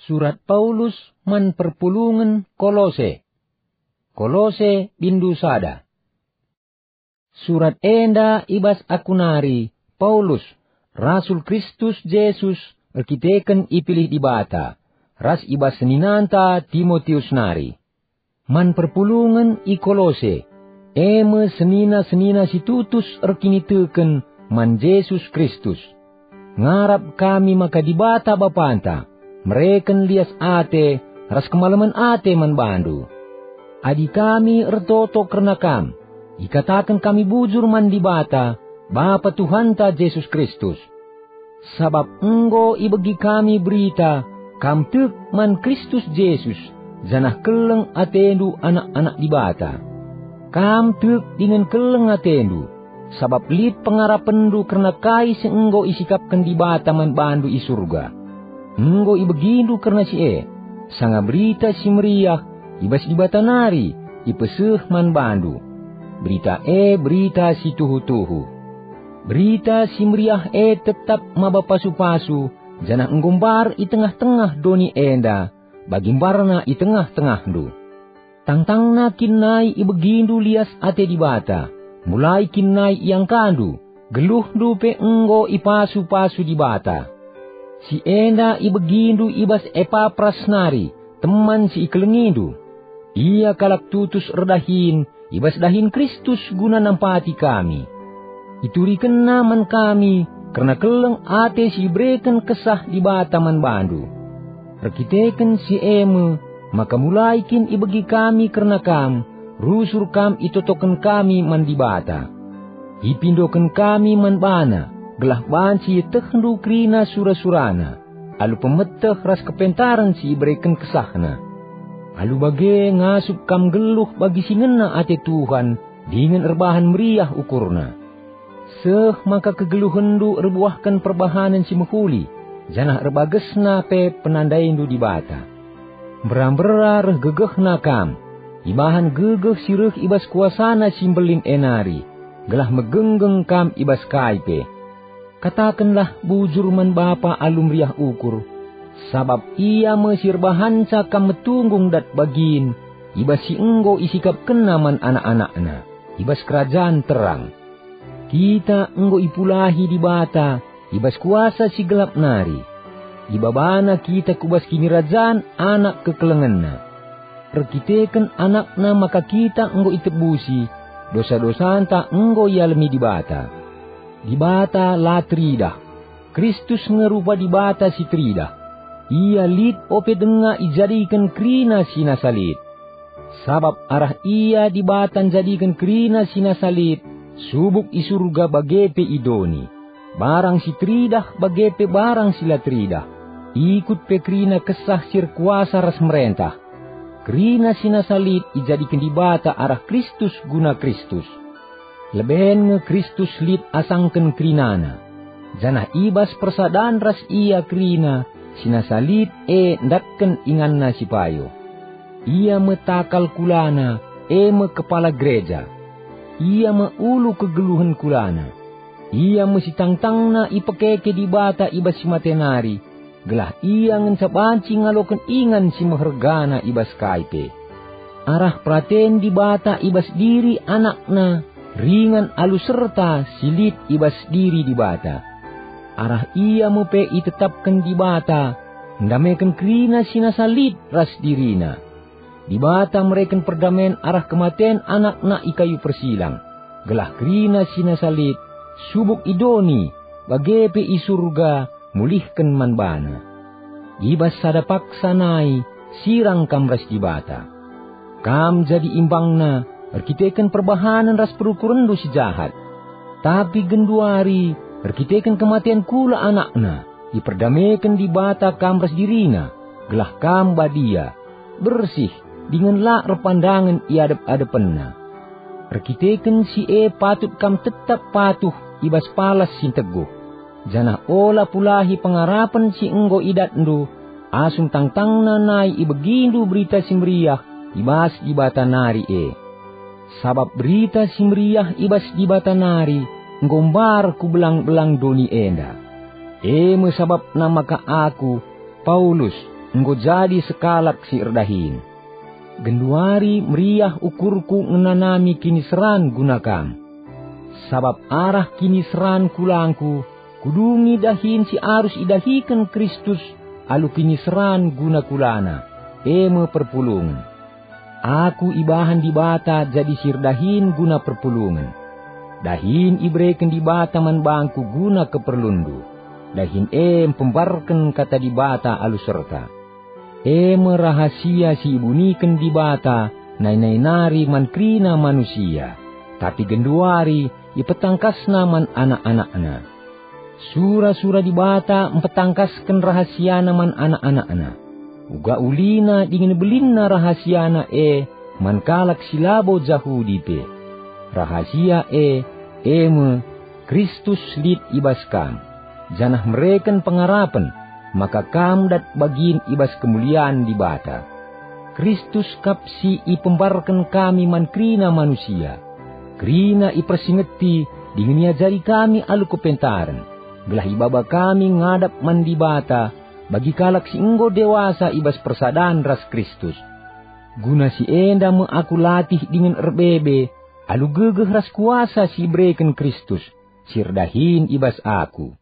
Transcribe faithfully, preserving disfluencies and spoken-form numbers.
Surat Paulus man perpulungen Kolose. Kolose bindu sada. Surat enda i bas aku nari, Paulus, rasul Kristus Jesus erkiteken ipilih Dibata, ras i bas seninanta Timotius nari. Man perpulungen i Kolose, e me senina-senina si tutus erkiniteken man Jesus Kristus. Ngarap kami maka Dibata Bapanta mereken lias ate ras kemalemen ate man bandu. Adi kami ertoto kerna kam, ikataken kami bujur man Dibata, Bapa Tuhanta Jesus Kristus. Sabap enggo ibegi kami berita, kam tek man Kristus Jesus, janah keleng atendu anak-anak Dibata. Kam tek dingen keleng atendu, sabap lit pengarapenndu kerna kai si enggo isikapken Dibata man bandu i Surga. Enggo ibegindu kerna si e, sanga Berita Si Meriah i bas Dibata nari ipeseh man bandu. Berita e berita si tuhu-tuhu. Berita Si Meriah e tetap maba pasu-pasu, janah enggo mbar i tengah-tengah doni enda, bagi mbarna i tengah-tengahndu. Tangtangna kin nai ibegindu lias ate Dibata, mulai kin nai iangkandu, geluhndu pe enggo ipasu-pasu Dibata. Si enda ibegindu i bas Epapras nari, teman si ikelengindu. Ia kalak tutus erdahin i bas dahin Kristus guna nampati kami. Iturikenna man kami kerna keleng ate si ibereken Kesah Dibata man bandu. Erkiteken si e me maka mulai kin ibegi kami kerna kam, rusur kam itotoken kami man Dibata. Ipindoken kami man baNa, gelah banci ietehndu kerina sura-suraNa, alu pemeteh ras kepentaren si ibereken KesahNa. Alu bage ngasup kam nggeluh bagi si ngena ate Tuhan dingen erbahan meriah ukurna. Seh maka kegeluhenndu erbuahken perbahanen si mehuli, janah erbagesna pe penandaindu Dibata. Mbera-mbera reh gegehna kam, ibahan gegeh si reh i bas kuasaNa si mbelin e nari, gelah megenggeng kam i bas kai pe. Katakenlah bujur man Bapa alu meriah ukur, sabap Ia me si erbahanca kam metunggung dat bagin i bas si enggo isikapkenNa man anak-anakNa, i bas kerajan terang. Kita enggo ipulahi Dibata i bas kuasa si gelap nari. IbabaNa kita ku bas kinirajan Anak kekelengenNa. Erkiteken AnakNa maka kita enggo itebusi, dosa-dosanta enggo ialemi Dibata. Dibata la teridah. Kristus nge rupa Dibata si teridah. Ia lit ope denga ijadiken kerina si nasa lit. Sabap arah Ia Dibata njadiken kerina si nasa lit, subuk i Surga bage pe i doni, barang si teridah bage pe barang si la teridah, ikut pe kerina kesah si erkuasa ras merentah. Kerina si nasa lit ijadiken Dibata arah Kristus guna Kristus. Leben nge Kristus lit asangken kerinana, janah i bas persadan ras Ia kerina si nasa lit e ndatken inganNa si payo. Ia me takal kulana, e me kepala gereja. Ia me ulu kegeluhen kulana. Ia me si tangtangna ipekeke Dibata i bas si mate nari, gelah Ia ngenca banci ngaloken ingan si mehergana i bas kai pe. Arah peraten Dibata i bas diri AnakNa ringan alu serta si lit i bas diri Dibata. Arah Ia me pe itetapken Dibata, ndameken kerina si nasa lit ras diriNa. Dibata mereken perdamen arah kematen AnakNa i kayu persilang, gelah kerina si nasa lit, subuk i doni, bage pe i Surga, mulihken man baNa. I bas sada paksa nai, sirang kam ras Dibata. Kam jadi imbangNa erkiteken perbahanen ras perukurenndu si jahat. Tapi genduari, erkiteken kematen kula AnakNa, iperdameken Dibata kam ras diriNa, gelah kam badia, bersih, dingen la erpandangen i adep-adepenNa. Erkiteken si e patut kam tetap patuh i bas palas si nteguh, janah ola pulahi pengarapen si enggo idatndu, asum tangtangna nai ibegindu Berita Si Meriah i bas Dibata nari e. Sabap Berita Si Meriah i bas Dibata nari enggo mbar ku belang-belang doni enda. E me sabapna maka aku, Paulus, enggo jadi sekalak si erdahin. Genduari meriah ukurku ngenanami kiniseran guna kam. Sabap arah kiniseran kulangku, kudungi dahin si arus idahiken Kristus alu kiniseran guna kulana, e me perpulungen. Aku ibahan Dibata jadi si erdahin guna perpulungen. Dahin ibereken Dibata man bangku guna keperlunndu. Dahin e mpembarken kata Dibata alu serta. E me rahasia si ibuniken Dibata nai-nai nari man kerina manusia, tapi genduari ipetangkasNa man anak-anakNa. Sura-sura Dibata mpetangkasken rahasiaNa man anak-anakNa. Uga ulina dingen belinna rahasiaNa e man kalak si labo Jahudi pe. Rahasia e, e me, Kristus lit i bas kam, janah mereken pengarapen maka kam dat bagin i bas kemulian Dibata. Kristus kap si ipembarken kami man kerina manusia. Kerina ipersingeti dingen iajari kami alu kepentaren, gelah ibaba kami ngadap man Dibata bagi kalak si enggo dewasa i bas persadan ras Kristus. Guna si enda me aku latih dingen erbebe alu gegeh ras kuasa si ibereken Kristus, si erdahin i bas aku.